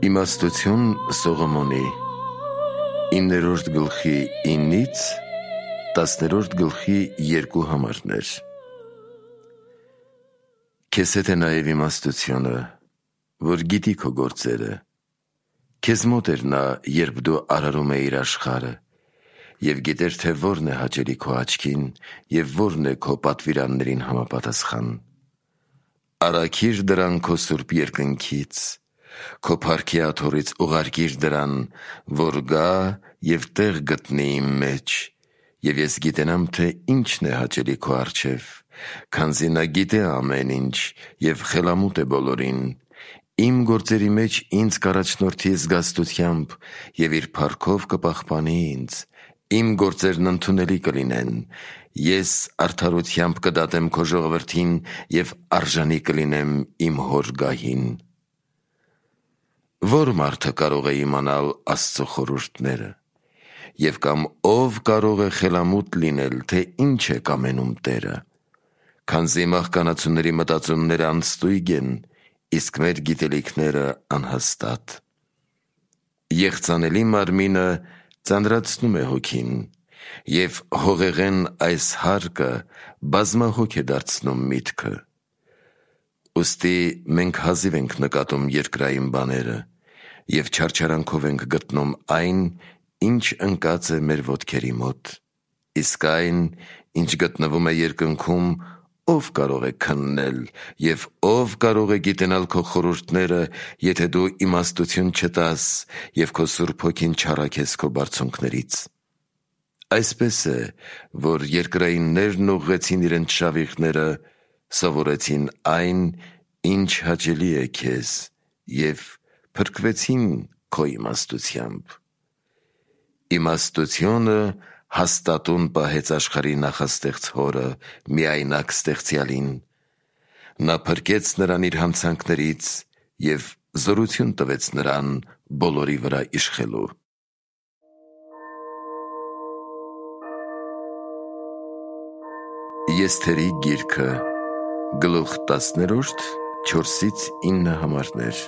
Իմաստություն Սողոմոնի 9-րդ գլխի 9-ից 10-րդ գլխի 2 համարներ։ Քեզ հետ է նաև իմաստությունը, որ գիտի քո գործերը։ Քեզ մոտ էր նա, երբ դու արարում էիր աշխարհը, և գիտեր, թե որն է հաճելի քո աչքին և որն է քո պատվիրաններին համապատասխան։ Առաքիր դրան քո սուրբ երկնքից, քո փառքի աթոռից ուղարկիր դրան, որ գա և տեղ գտնի իմ մեջ, և ես գիտենամ, թե ինչն է հաճելի քո առջև, քանզի նա գիտե ամեն ինչ և խելամուտ է բոլորին։ Իմ գործերի մեջ ինձ կառաջնորդի զգաստությամբ և իր փառքով կպահպանի ինձ։ Իմ գործերն ընդունելի կլինեն, ես արդարությամբ կդատեմ քո ժողովրդին և արժանի կլինեմ իմ հոր գահին։ Ո՞ր մարդը կարող է իմանալ Աստծո խորհուրդները, և կամ ով կարող է խելամուտ լինել, թե ինչ է կամենում Տերը։ Քանզի մահկանացուների մտածումները անստույգ են, իսկ մեր գիտելիքները անհաստատ։ Եղծանելի մարմինը ծանրացնում է հոգին, և հողեղեն այս հարկը բազմահոգ է դարձնում միտքը։ Ուստի մենք հազիվ ենք նկատում երկրային բաները, և չարչարանքով ենք գտնում այն, ինչ ընկած է մեր ոտքերի մոտ։ Իսկ այն, ինչ գտնվում է երկնքում, ո՞վ կարող է քննել, և ո՞վ կարող է գիտենալ քո խորհուրդները, եթե դու իմաստություն չտաս և քո Սուրբ Հոգին չառաքես քո բարձունքներից։ Այսպես է, որ երկրայիններն ուղղեցին իրենց շավիղները, սովորեցին այն, ինչ հաճելի է քեզ, և փրկվեցին քո իմաստությամբ։ Իմաստությունը հաստատուն պահեց աշխարհի նախաստեղծ Հորը, միայնակ Ստեղծյալին։ Նա փրկեց նրան իր հանցանքներից և զորություն տվեց նրան բոլորի վրա իշխելու։ Եսթերի գիրքը, գլուխ 10, 4-9 համարներ։